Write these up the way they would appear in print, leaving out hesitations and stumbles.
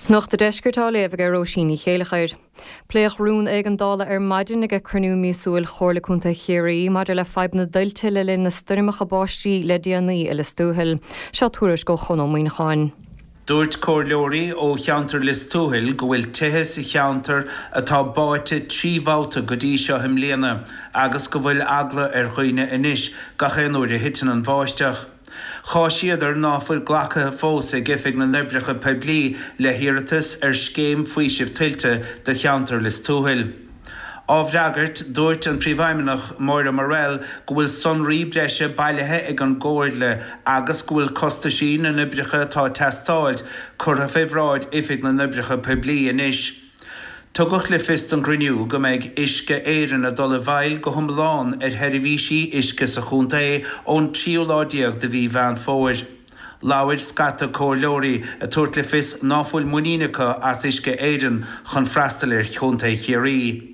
Nuacht a' Deiscirt á léamh aige Róisín Ní Chéileachair. Pléadh rún éigeandála ar maidin ag cruinniú míosúil Chomhairle Contae Chiarraí maidir le fadhb na dtuilte le linn na stoirmeacha báistí le déanaí i Lios Tuathail. Seo tuairisc ó Chon Ó Muíneacháin. Dúirt comhairleoirí ó cheantar Lios Tuathail go bhfuil tithe sa cheantar atá báite 3 bhabhta go dtí seo i mbliana agus go bhfuil eagla ar dhaoine anois gach aon uair a thiteann an bháisteach. Cháisíodar ná fuil glactha fós ag Oifig na nOibreacha Poiblí le hiarratas ar scéim faoisimh tuilte do cheantar Lios Tuathail. Á bhfreagairt, dúirt an Príomhfheidhmeannach Máire Morrell go bhfuil sonraí breise bailithe ag an gComhairle agus go bhfuil costaisí na n-oibreacha atá ag teastáilt curtha fé bhráid Oifig na nOibreacha Poiblí anois. Tugadh le fios don gcruinniú go mbeidh Uisce Éireann ag dul i bhfeighil go hiomlán ar sheirbhísí uisce sa chontae ón tríú lá déag de mhí Mheán Fómhair. Labhair scata comhairleoirí ag tabhairt le fios ná fuil muinín acu as Uisce Éireann chun freastal ar chontae Chiarraí.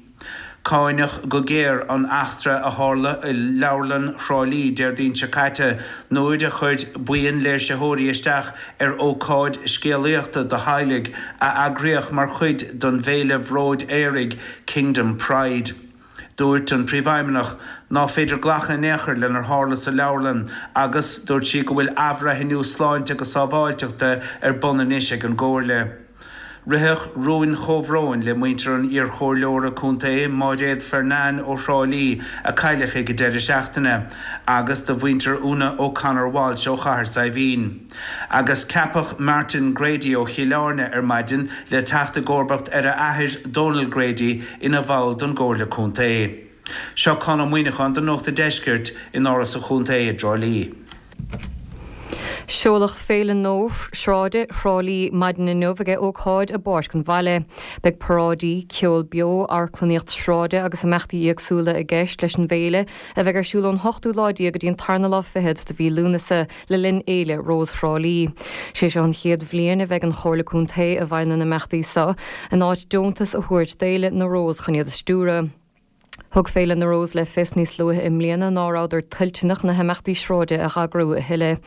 Cáineadh go géar an eachtra a tharla i Leabharlann Thrá Lí Déardaoin seo caite nuair a chuir buíon léirsitheoirí isteach ar ócáid scéalaíochta do theaghlaigh a eagraíodh mar chuid den bhféile bhróid aeraigh Kingdom Pride. Dúirt an Príomhfheidhmeannach ná féidir glacadh in aon chor lenar tharla sa leabharlann agus dúirt sí go bhfuil athbhreithniú sláinte agus sábháilteachta ar bun anois ag an gComhairle. Ritheadh rúin chomhbhróin le muintir an iarchomhairleora contae Máiréad Fernane ó Thrá Lí a cailleadh ag an deireadh seachtaine agus do mhuintir Úna O'Connor Walsh ó Chathair Saidhbhín. Agus ceapadh Martin Grady ó Chill Airne ar maidin le teacht i gcomharbacht ar a athair Donal Grady ina bhall don gComhairle Contae. Seo Conn Ó Muíneacháin do Nuacht a' Deiscirt in Áras an Chontae i dTrá Lí. Seoladh Féile Nua Sráide Thrá Lí maidin inniu ag ócáid i bPáirc an Bhaile. Beidh paráidí, ceol beo, amharclannaíocht sráide agus imeachtaí éagsúla i gceist leis an bhféile, a bheidh ar siúl ón hochtú lá déag go dtí an tarna lá fichead de mhí Lúnasa le linn Fhéile Rós Thrá Lí. Sé seo an chéad bhliain a bheidh an Chomhairle Contae i bhfeighil na n-imeachtaí seo, in áit deontas a thabhairt d'Fhéile na Rós chun iad a stiúradh. Thug Féile na Rós le fios níos luaithe i mbliana ná rabhadar toilteanach na himeachtaí sráide a eagrú a thuilleadh.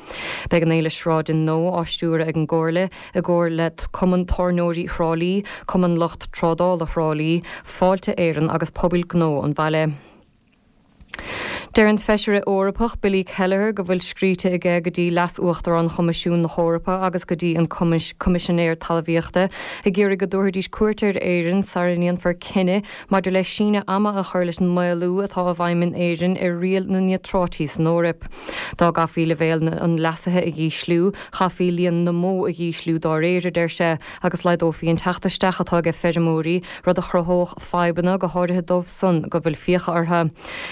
Beidh an fhéile sráide nua á stiúradh ag an gComhairle i gcomhar le Cumann Tábhairneoirí Thrá Lí, Cumann Lucht Trádála Thrá Lí, Fáilte Éireann agus Pobail Gnó an bhaile. Deir an Feisire Eorpach Billy Kelleher go bhfuil scríte aige go dtí Leas-Uachtarán Choimisiún na hEorpa agus go dtí an Coimisinéir Talmhaíochta ag iarraidh go dtabharfaidís cuairt ar Éirinn sara ndéanfar cinneadh maidir le síneadh ama a chur leis an maolú atá i bhfeidhm in Éirinn ar riail na níotráití san Eoraip. Dá gcaithfí leibhéal an leasaithe a dhísliú, chaithfí líon na mbó a dhísliú dá réir, a deir sé, agus laghdófaí an teacht isteach atá ag feirmeoirí, rud a chruthódh fadhbanna, go háirithe dóibh san go bhfuil fiacha orthu.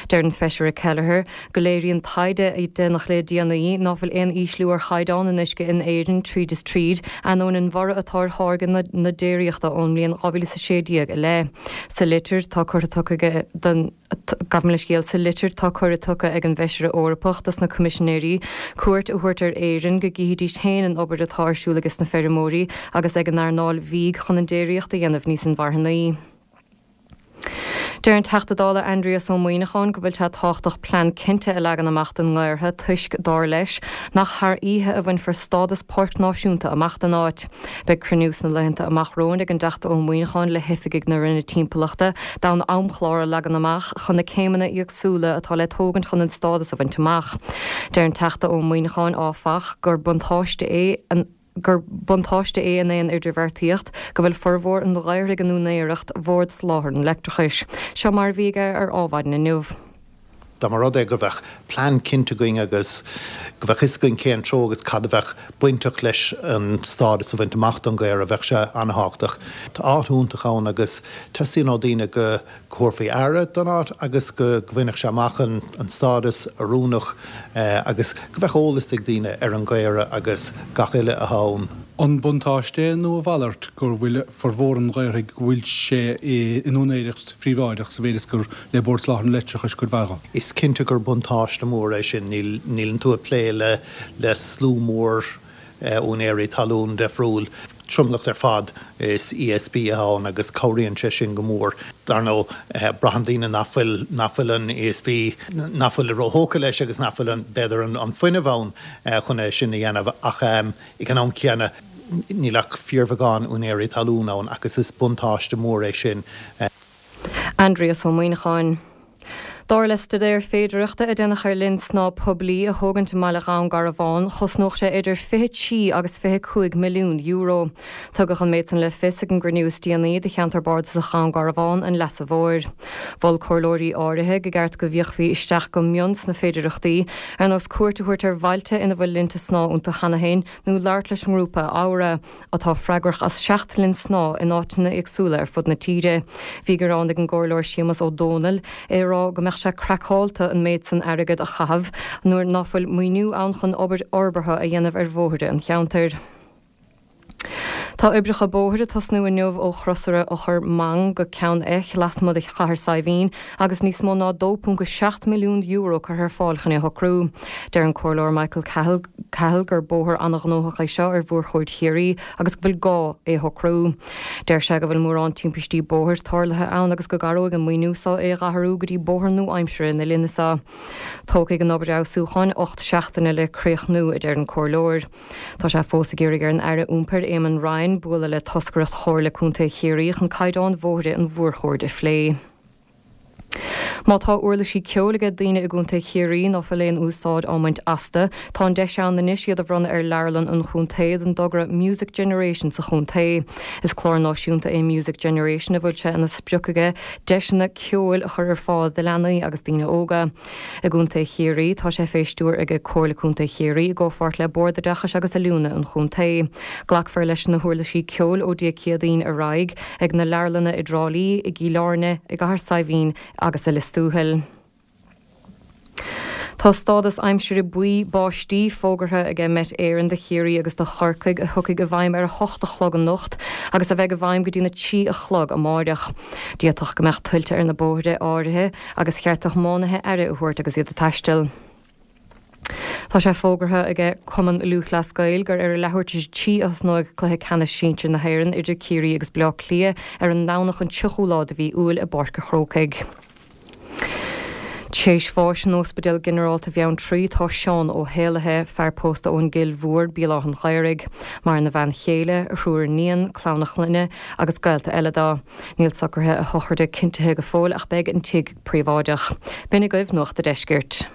Deir an Feisire Kelleher go léiríonn taighde a déanadh le déanaí ná fuil aon ísliú ar chaighdeán an uisce in Éirinn tríd is tríd, ainneoin an bhorradh atá ar tháirgeadh na déiríochta ón mbliain 2016 i leith. Sa litir tá curtha tugtha aige don. Gabh mo leithscéal, sa litir tá cuireadh tugtha ag an bhFeisire Eorpach dos na Coimisinéirí cuairt a thabhairt ar Éirinn go gcífidís féin an obair atá ar siúl ages na feirmeoirí agus ag an earnáil bhídh chun an déiríocht a dhéanamh níos inmharthanaí. Deir an Teachta Dála Aindrias Ó Muíneacháin go bhfuil sé tábhachtach plean cinnte a leagan amach don nGaorthadh toisc, dar leis, nach thar oíche a bhainfear stádas páirc náisiúnta amach don áit. Beidh cruinniú sna laethanta amach romhainn ag an dTeachta Ó Muíneacháin le hoifigigh na Roinne Timpeallachta d'fhonn amchlár a leagan amach chun na céimeanna éagsúla atá le tógaint chun an stádas a bhaint amach. Deir an Teachta Ó Muíneacháin, áfach, gur buntáiste é an gur buntáiste é in aon idirbheartaíocht go bhfuil formhór an Ghaorthaidh in úinéireacht Bhord Soláthair an Leictreachais. Seo mar a bhí aige ar Adhmhaidin inniu. Dá mba rud é go bheadh plean cinnte againn agus go bheadh fhios againn cén treo agus cad a bheadh bainteach leis an stádas a bhaint amach don Ghaorthadh, bheadh sé an-thábhachtach. Tá áit iontach ann agus teastaíonn ó daoine go thabharfaí aire don áit agus go bhainfeadh sé amach an stádas oiriúnach agus go bheadh eolas ag daoine ar an Ghaorthadh agus gach uile atá ann. An buntáiste é nó a mhalairt go bhfuil formhór an Ghaorthaidh go bhfuil sé in úinéireacht phríobháideach sa mhéid is gur le Bord Soláthair an Leictreachais cuid mhaith dho. Is cinnte gur buntáiste mór é sin. Níleann tú ag plé le slua mór úinéirí talún difriúil. Tromlach ar fad is ESB atá ann agus cabhraíonn sé sin go mór. Dar ndóigh, braitheann daoine nach bhfuil, nach bhfuil an ESB, nach bhfuil róthógtha leis agus nach bhfuil an, b'fhéidir, an fuinneamh ann chun é sin a dhéanamh ach ag an am céanna. Níl ach fíorbheagán úinéirí talún ann agus is buntáiste mór é sin. Aindrias Ó Muíneacháin. Dar le staidéar féidearthachta a déanadh ar linn snámha poiblí a thógaint i mbaile Dhún Garbhán, chosnódh sé idir 23 agus 25 milliún euro. Tugadh an méid san le fios ag an gcruinniú is déanaí de cheantar bardasach Dhún Garbhán an Leasa Mhóir. Mhol comhairleoirí áirithe go gceart go bhféachfaí isteach go mion sna féidearthachtaí, ar nós cuairt a thabhairt ar bhailte ina bhfuil linnte snámha iontu cheana féin nó labhairt leis an ngrúpa Aura. atá freagrach as 7 linn snámha in áiteanna éagsúla ar fud na tíre. Bhí gearán ag an gComhairleoir Séamus Ó Dónaill, é ag rá go mbeadh sé craiceálta an méid san airgead a chaitheamh nuair ná fuil maoiniú ann chun obair fhorbartha a dhéanamh ar bhóithre an cheantair. Tá oibreacha bóthair ag tosnú inniu ó chrosaire Eochair Mang go Ceann Eich lasmuigh de Chathair Saidhbhín agus níos mó ná €2.7 milliún curtha ar fáil chun é a shocrú. Deir an Comhairleoir Michael Cahill Cahill gur bóthar an-ghnóthach é seo ar mhórchuaird Chiarraí agus go bhfuil gá é a shocrú. Deir sé go bhfuil mórán timpistí bóthair tarlaithe ann agus go gcabhróidh an maoiniú seo é a dh'athrú go dtí bóthar nua-aimseartha na linne seo. Tógfaidh an obair fheabhsúcháin 8 seachtaine le críochnú, a deir an Comhairleoir. Tá sé fós ag iarraidh ar an Aire Iompair Éamon Ryan bualadh le toscaireacht Chomhairle Contae Chiarraí chun caighdeáin bhóithre an mhórchuaird a phlé. Má tá uirlisí ceoil aige daoine i gContae Chiarraí ná fuil aon úsáid á mbaint astu, tá an deis ann anois iad a bhronnadh ar Leabharlann an Chontae don dtogra Music Generation sa chontae. Is clár náisiúnta é Music Generation a bhfuil sé ina sprioc aige deiseanna ceoil a chur ar fáil do leanaí agus daoine óga. I gContae Chiarraí, tá sé fé stiúir aige Comhairle Contae Chiarraí i gcomhpháirt le Bord Oideachais agus Oiliúna an Chontae. Glacfar leis na huirlisí ceoil ó Dé Céadaoin ar aghaidh ag na leabharlanna i dTrá Lí, i gCill Airne, i gCathair Saidhbhín agus i Lios Tuathail. Tá stádas aimsire buí báistí fógartha aige Met Éireann do Chiarraí agus do Chorcaigh a thiocfaidh i bhfeidhm ar a hocht a chlog anocht agus a bheidh i bhfeidhm go dtína 3 a chlog amáireach. D'fhéadfadh go mbeadh tuilte ar na bóithre áirithe agus cheart do thiománaithe aire a thabhairt agus iad ag taisteal. Tá sé fógartha aige Cumann Lúthchleas Gael gur ar a leathuair tar éis a 3 a thosnóidh cluiche ceannais sinsir na hÉireann idir Ciarraí agus Bleá Cliath ar an nDomhnach an 30ú lá de mhí Iúil i bPáirc a' Chrócaigh. Tréis bháis in Ospidéal Ginearálta Bheanntraí tá Seán Ó hÉalaithe, fear pósta ón gCill Mhór, Béal Átha'n Ghaorthaidh. Maireann a bhean chéile, a thriúr iníon, clann a chlainne agus gaolta eile dó. Níl socruithe a shochraide cinntithe go fóill ach beidh an tigh príobháideach. B'in agaibh Nuacht a' Deiscirt.